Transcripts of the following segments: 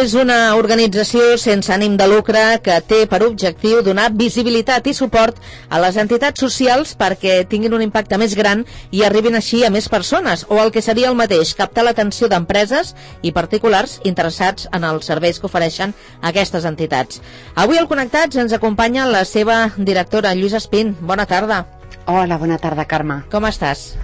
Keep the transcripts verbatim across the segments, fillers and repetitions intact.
és una organització sense ànim de lucre que té per objectiu donar visibilitat i suport a les entitats socials perquè tinguin un impacte més gran i arribin així a més persones, o el que seria el mateix, captar l'atenció d'empreses i particulars interessats en els serveis que ofereixen aquestes entitats. Avui al Connectats ens acompanya la seva directora, Lluïsa Espín. Bona tarda. Hola, bona tarda, Carme. Com estàs?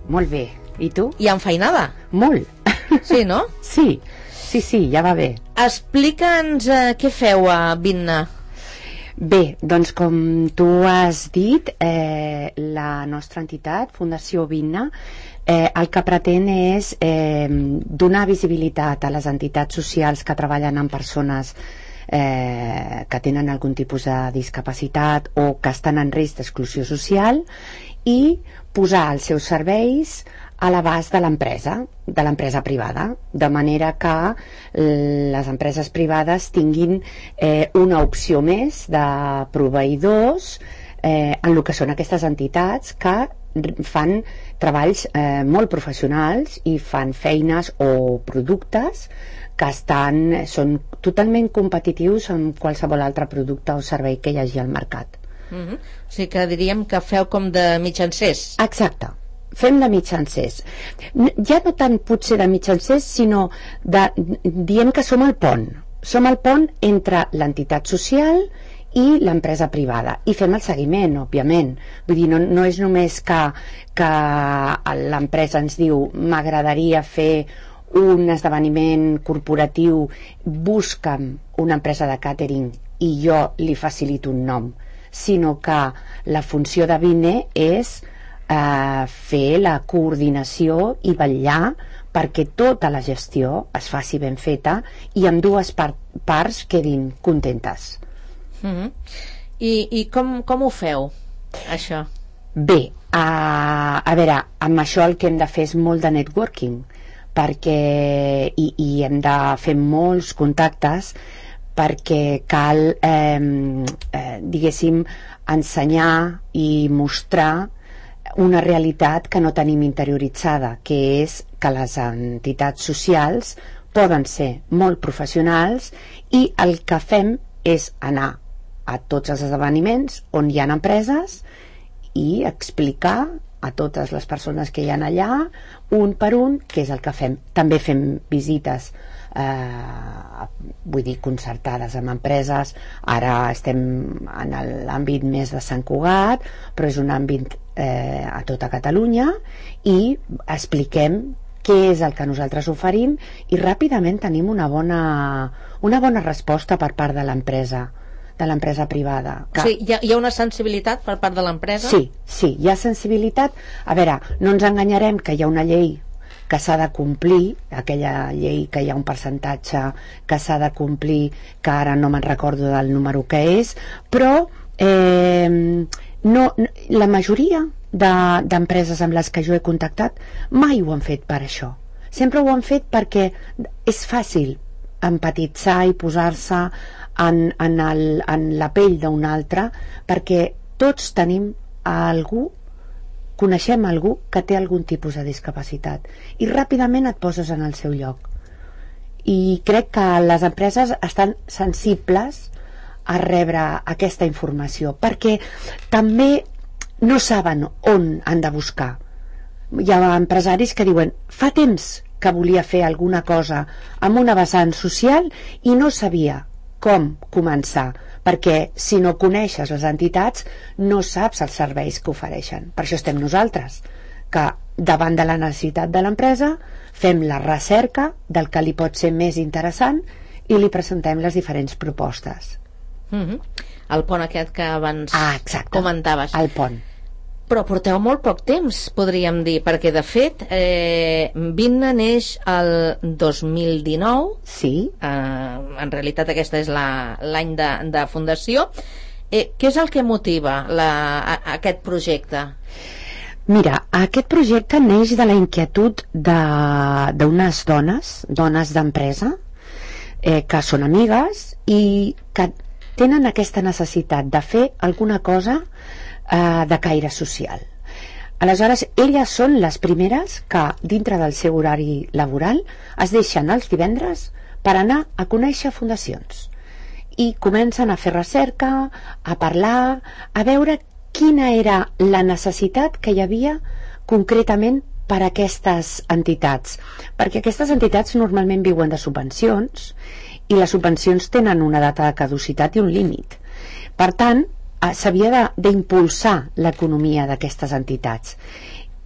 Molt bé. I tu? I enfeinada? Molt. Sí, no? Sí. Sí, sí, ja va bé. Explica'ns eh, què feu a Vinna. Bé, doncs com tu has dit, eh, la nostra entitat, Fundació Vinna, eh, el que pretén és eh, donar visibilitat a les entitats socials que treballen amb persones eh, que tenen algun tipus de discapacitat o que estan en risc d'exclusió social i posar els seus serveis a l'abast de l'empresa, de l'empresa privada, de manera que les empreses privades tinguin eh, una opció més de proveïdors eh, en el que són aquestes entitats que fan treballs eh, molt professionals i fan feines o productes que estan, són totalment competitius amb qualsevol altre producte o servei que hi hagi al mercat. Mm-hmm. O sigui que diríem que feu com de mitjancers. Exacte. Fem de mitjancers. Ja no tant potser de mitjancers, sinó de, dient que som el pont. Som el pont entre l'entitat social i l'empresa privada. I fem el seguiment, òbviament. Vull dir, no, no és només que, que l'empresa ens diu m'agradaria fer un esdeveniment corporatiu, busca'm una empresa de càtering i jo li facilito un nom, sinó que la funció de Vinne és Uh, fer la coordinació i vetllar perquè tota la gestió es faci ben feta i amb dues par parts quedin contentes. Mm-hmm. I, i com, com ho feu, això? Bé, uh, a veure, amb això el que hem de fer és molt de networking, perquè i, i hem de fer molts contactes perquè cal eh, eh, diguéssim ensenyar i mostrar una realitat que no tenim interioritzada, que és que les entitats socials poden ser molt professionals i el que fem és anar a tots els esdeveniments on hi ha empreses i explicar a totes les persones que hi ha allà un per un què és el que fem. També fem visites eh, vull dir concertades amb empreses. Ara estem en l'àmbit més de Sant Cugat, però és un àmbit eh, a tota Catalunya i expliquem què és el que nosaltres oferim i ràpidament tenim una bona, una bona resposta per part de l'empresa de l'empresa privada. Que... Sí, hi ha, hi ha una sensibilitat per part de l'empresa? Sí, sí, hi ha sensibilitat. A veure, no ens enganyarem que hi ha una llei que s'ha de complir, aquella llei que hi ha un percentatge que s'ha de complir, que ara no me'n recordo del número que és, però eh, no, la majoria d'empreses amb les que jo he contactat mai ho han fet per això. Sempre ho han fet perquè és fàcil empatitzar i posar-se en, en, el, en la pell d'un altre, perquè tots tenim algú, coneixem algú que té algun tipus de discapacitat i ràpidament et poses en el seu lloc. I crec que les empreses estan sensibles a rebre aquesta informació perquè també no saben on han de buscar. Hi ha empresaris que diuen fa temps que volia fer alguna cosa amb una vessant social i no sabia com començar, perquè si no coneixes les entitats no saps els serveis que ofereixen. Per això estem nosaltres, que davant de la necessitat de l'empresa fem la recerca del que li pot ser més interessant i li presentem les diferents propostes. Mm-hmm. El pont aquest que abans ah, exacte, comentaves. El pont. Però porteu molt poc temps, podríem dir, perquè de fet eh, Vinna neix el dos mil dinou. Sí. Eh, en realitat aquesta és l'any de, de fundació. Eh, què és el que motiva la, a, a aquest projecte? Mira, aquest projecte neix de la inquietud d'unes dones, dones d'empresa, eh, que són amigues i que tenen aquesta necessitat de fer alguna cosa eh, de caire social. Aleshores, elles són les primeres que, dintre del seu horari laboral, es deixen els divendres per anar a conèixer fundacions. I comencen a fer recerca, a parlar, a veure quina era la necessitat que hi havia concretament per a aquestes entitats. Perquè aquestes entitats normalment viuen de subvencions i les subvencions tenen una data de caducitat i un límit. Per tant, s'havia d'impulsar l'economia d'aquestes entitats.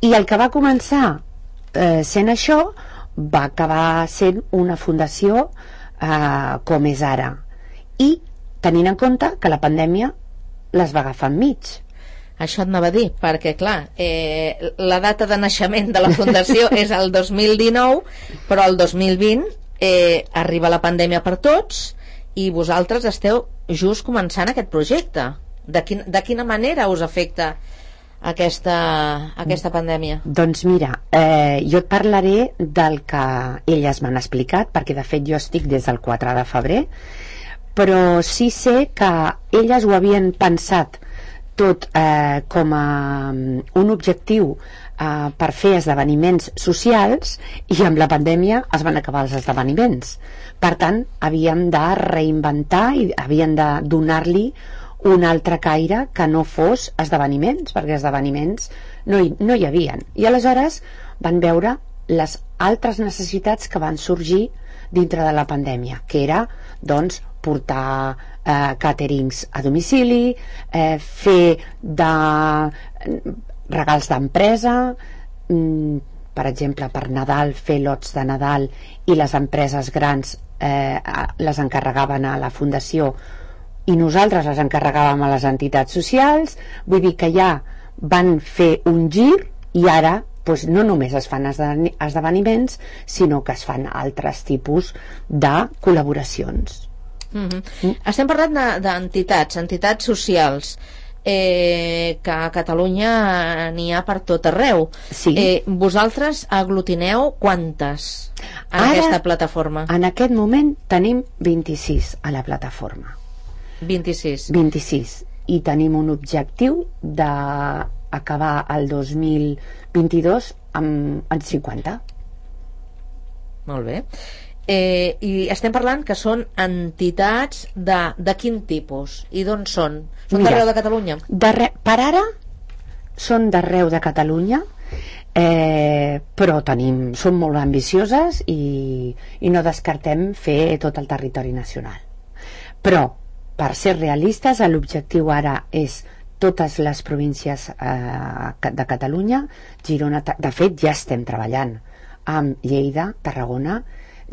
I el que va començar eh, sent això va acabar sent una fundació eh, com és ara. I tenint en compte que la pandèmia les va agafar enmig. Això et anava a dir, perquè clar, eh, la data de naixement de la fundació és el dos mil dinou, però el dos mil vint eh, arriba la pandèmia per tots i vosaltres esteu just començant aquest projecte. De, quin, de quina manera us afecta aquesta, aquesta pandèmia? Doncs mira, eh, jo et parlaré del que elles m'han explicat, perquè de fet jo estic des del quatre de febrer, però sí sé que elles ho havien pensat tot eh, com a un objectiu eh, per fer esdeveniments socials, i amb la pandèmia es van acabar els esdeveniments. Per tant, havíem de reinventar i havíem de donar-li un altre caire que no fos esdeveniments, perquè esdeveniments no hi, no hi havien. I aleshores van veure les altres necessitats que van sorgir dintre de la pandèmia, que era doncs portar eh, càterings a domicili, eh, fer de regals d'empresa, mm, per exemple per Nadal fer lots de Nadal, i les empreses grans eh, les encarregaven a la fundació i nosaltres les encarregàvem a les entitats socials. Vull dir que ja van fer un gir i ara doncs, no només es fan esdeveniments, sinó que es fan altres tipus de col·laboracions. Mm-hmm. Mm. Estem parlant d'entitats, entitats socials, eh, que a Catalunya n'hi ha per tot arreu. Sí. Eh, vosaltres aglutineu quantes en Ara, aquesta plataforma? En aquest moment tenim vint-i-sis a la plataforma. vint-i-sis. vint-i-sis. I tenim un objectiu d'acabar el dos mil vint-i-dos amb, amb cinquanta. Molt bé. Eh, I estem parlant que són entitats de, de quin tipus? I d'on són? Són d'arreu de Catalunya? Darre, per ara són d'arreu de Catalunya, eh, però tenim, som molt ambicioses i, i no descartem fer tot el territori nacional. Però, per ser realistes, l'objectiu ara és totes les províncies eh, de Catalunya. Girona, de fet ja estem treballant amb Lleida, Tarragona,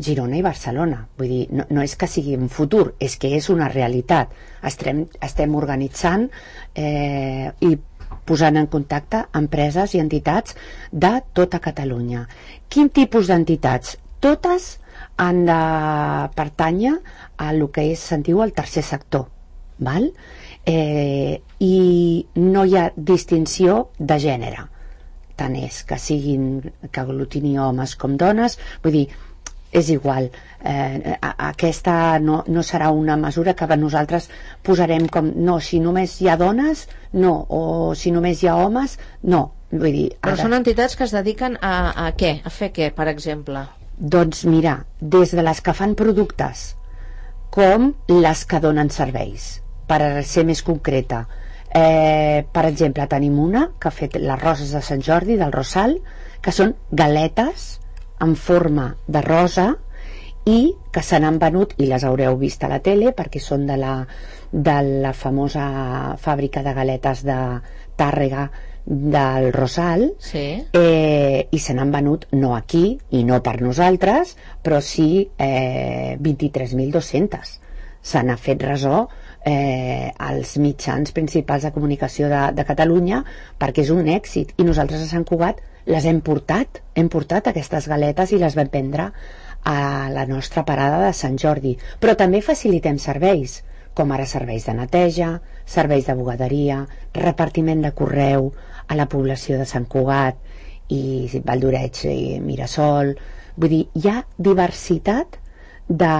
Girona i Barcelona. Vull dir, no, no és que sigui un futur, és que és una realitat. Estem, estem organitzant eh, i posant en contacte empreses i entitats de tota Catalunya. Quin tipus d'entitats? Totes han de pertànyer a el que és, se'n diu, el tercer sector, val? Eh, i no hi ha distinció de gènere, tant és que siguin, que aglutini homes com dones. Vull dir, és igual, eh, aquesta no, no serà una mesura que nosaltres posarem com, no, si només hi ha dones, no, o si només hi ha homes, no. Vull dir, però ara... són entitats que es dediquen a, a què? A fer què, per exemple? Doncs mira, des de les que fan productes com les que donen serveis, per ser més concreta. Eh, per exemple, tenim una que ha fet les roses de Sant Jordi, del Rosal, que són galetes en forma de rosa i que se n'han venut, i les haureu vist a la tele perquè són de la, de la famosa fàbrica de galetes de Tàrrega del Rosal, sí. eh, i se n'han venut no aquí i no per nosaltres, però sí eh, vint-i-tres mil dos-centes. Se n'ha fet ressò eh, als mitjans principals de comunicació de, de Catalunya, perquè és un èxit, i nosaltres a Sant Cugat les hem portat, hem portat aquestes galetes i les vam prendre a la nostra parada de Sant Jordi. Però també facilitem serveis, com ara serveis de neteja, serveis de bugaderia, repartiment de correu a la població de Sant Cugat i Valldoreix i Mirasol. Vull dir, hi ha diversitat de,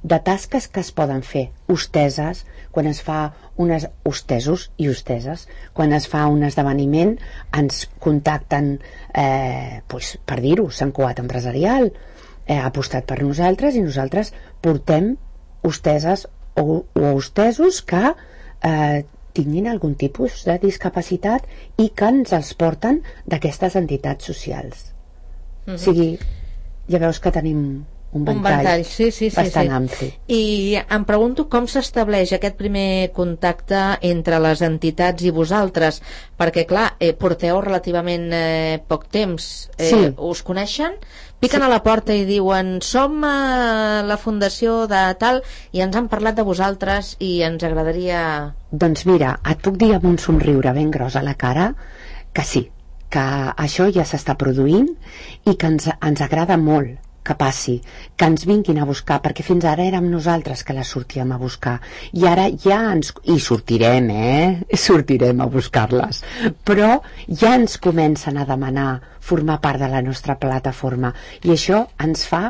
de tasques que es poden fer. Hosteses, quan es fa unes hostesos i hosteses, quan es fa un esdeveniment ens contacten, eh, pues, per dir-ho, Sant Cugat Empresarial, eh, ha apostat per nosaltres i nosaltres portem hosteses o, o hostesos que eh, tinguin algun tipus de discapacitat i que ens els porten d'aquestes entitats socials. Mm-hmm. O sigui, ja veus que tenim un ventall, un ventall sí, sí, sí, bastant sí. ampli. I em pregunto com s'estableix aquest primer contacte entre les entitats i vosaltres, perquè clar, eh, porteu relativament eh, poc temps, eh, sí. Us coneixen? Piquen sí. a la porta i diuen som a la fundació de tal i ens han parlat de vosaltres i ens agradaria... Doncs mira, et puc dir amb un somriure ben gros a la cara que sí, que això ja s'està produint i que ens, ens agrada molt que passi, que ens vinguin a buscar, perquè fins ara érem nosaltres que les sortíem a buscar i ara ja ens... i sortirem, eh? Sortirem a buscar-les, però ja ens comencen a demanar formar part de la nostra plataforma i això ens fa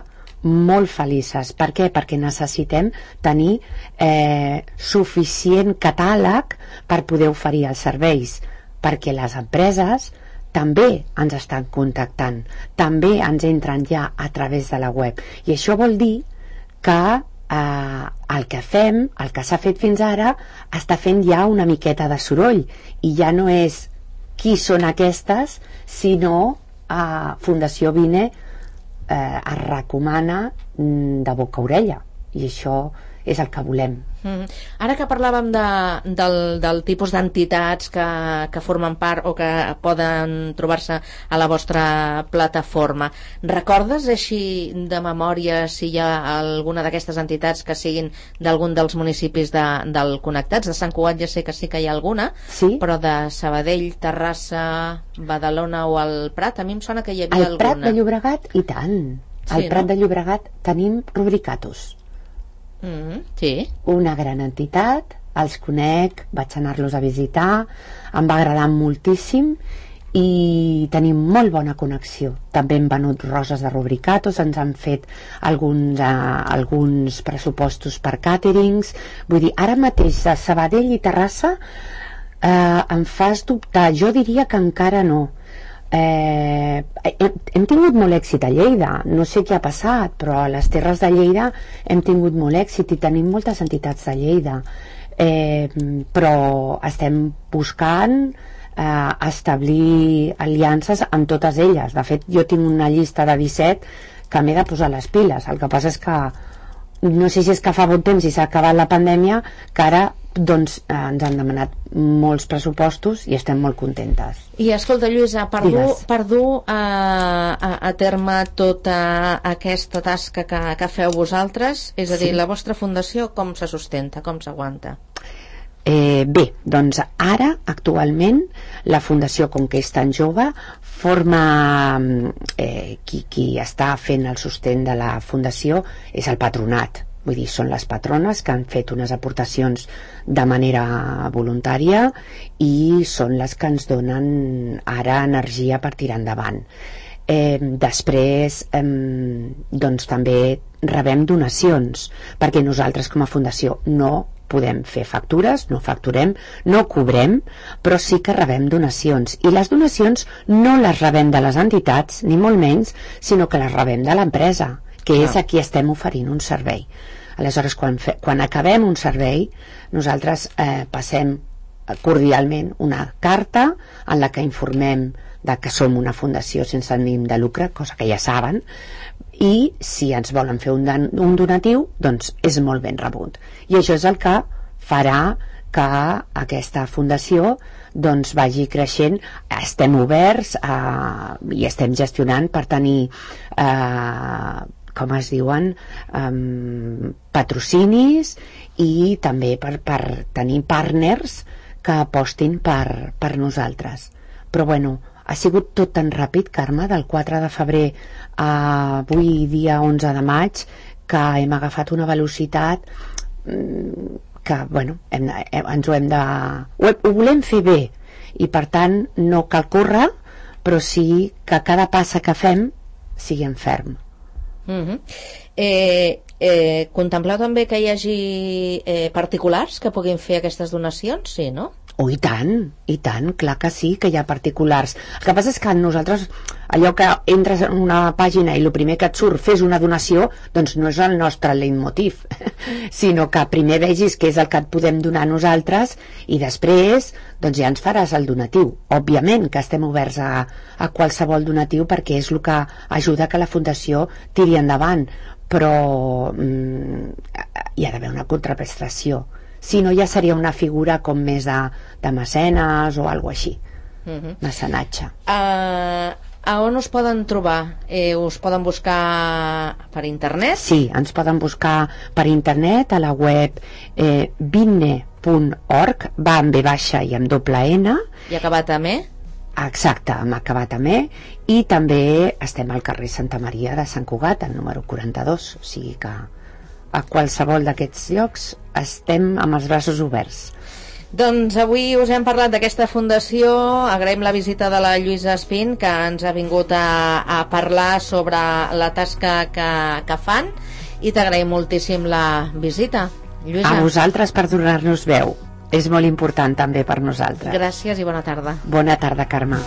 molt felices. Per què? Perquè necessitem tenir eh, suficient catàleg per poder oferir els serveis, perquè les empreses també ens estan contactant, també ens entren ja a través de la web i això vol dir que eh, el que fem, el que s'ha fet fins ara està fent ja una miqueta de soroll i ja no és qui són aquestes, sinó a Fundació Vine eh, es recomana de boca a orella i això és el que volem. Mm. Ara que parlàvem de, del, del tipus d'entitats que, que formen part o que poden trobar-se a la vostra plataforma, recordes així de memòria si hi ha alguna d'aquestes entitats que siguin d'algun dels municipis de, del Connectats? De Sant Cugat ja sé que sí que hi ha alguna, sí? Però de Sabadell, Terrassa, Badalona o el Prat, a mi em sona que hi havia al alguna. Prat de Llobregat, i tant. Al Sí, Prat no? de Llobregat tenim Rubricatus. Mm, sí. Una gran entitat, els conec, vaig anar-los a visitar, em va agradar moltíssim i tenim molt bona connexió. També hem venut roses de Rubricatus, ens han fet alguns, eh, alguns pressupostos per càterings. Vull dir, ara mateix de Sabadell i Terrassa eh, em fas dubtar. Jo diria que encara no. Eh, hem, hem tingut molt èxit a Lleida, no sé què ha passat, però a les Terres de Lleida hem tingut molt èxit i tenim moltes entitats de Lleida, eh, però estem buscant eh, establir aliances amb totes elles. De fet, jo tinc una llista de disset que m'he de posar les piles. El que passa és que no sé si és que fa bon temps i s'ha acabat la pandèmia, que ara doncs eh, ens han demanat molts pressupostos i estem molt contentes. I escolta, Lluïsa, per dur, Digues. per dur a, a, a terme tota aquesta tasca que, que feu vosaltres, és a dir, Sí. la vostra fundació com se sustenta, com s'aguanta? Eh, bé, doncs ara, actualment, la Fundació, com que és tan jove, forma... Eh, qui, qui està fent el sostén de la Fundació és el patronat. Vull dir, són les patrones que han fet unes aportacions de manera voluntària i són les que ens donen ara energia per tirar endavant. Eh, després eh, doncs també rebem donacions, perquè nosaltres com a fundació no podem fer factures, no facturem, no cobrem, però sí que rebem donacions, i les donacions no les rebem de les entitats, ni molt menys, sinó que les rebem de l'empresa, que és a qui estem oferint un servei. Aleshores, quan, fe, quan acabem un servei, nosaltres eh, passem cordialment una carta en la que informem de que som una fundació sense ànim de lucre, cosa que ja saben, i si ens volen fer un, un donatiu, doncs és molt ben rebut. I això és el que farà que aquesta fundació doncs vagi creixent. Estem oberts a, i estem gestionant per tenir eh, com es diuen, um, patrocinis i també per, per tenir partners que apostin per, per nosaltres. Però bueno, ha sigut tot tan ràpid, Carme, del quatre de febrer a avui dia onze de maig, que hem agafat una velocitat que, bueno, hem, hem, ens ho hem de... Ho, ho volem fer bé i per tant no cal córrer, però sí que cada passa que fem sigui en ferm. Uh-huh. eh, eh, contempleu també que hi hagi eh, particulars que puguin fer aquestes donacions? Sí, no? Oh, i tant, i tant, clar que sí, que hi ha particulars. El que passa és que nosaltres, allò que entres en una pàgina i el primer que et surt fes una donació, doncs no és el nostre leitmotiv, sinó que primer vegis què és el que et podem donar nosaltres i després doncs ja ens faràs el donatiu. Òbviament que estem oberts a, a qualsevol donatiu perquè és el que ajuda que la Fundació tiri endavant, però mm, hi ha d'haver una contraprestació. Si no, ja seria una figura com més de, de mecenes o alguna així, uh-huh. mecenatge. Uh, a on us poden trobar? Eh, us poden buscar per internet? Sí, ens poden buscar per internet a la web eh, vinne punt org, va amb B baixa i amb doble N. I acabat amb E? Exacte, hem acabat amb E, i també estem al carrer Santa Maria de Sant Cugat, al número quaranta-dos, o sigui que a qualsevol d'aquests llocs estem amb els braços oberts. Doncs avui us hem parlat d'aquesta fundació, agraïm la visita de la Lluïsa Espín, que ens ha vingut a, a parlar sobre la tasca que, que fan, i t'agraïm moltíssim la visita, Lluïsa. A vosaltres per donar-nos veu, és molt important també per nosaltres. Gràcies i bona tarda. Bona tarda, Carme.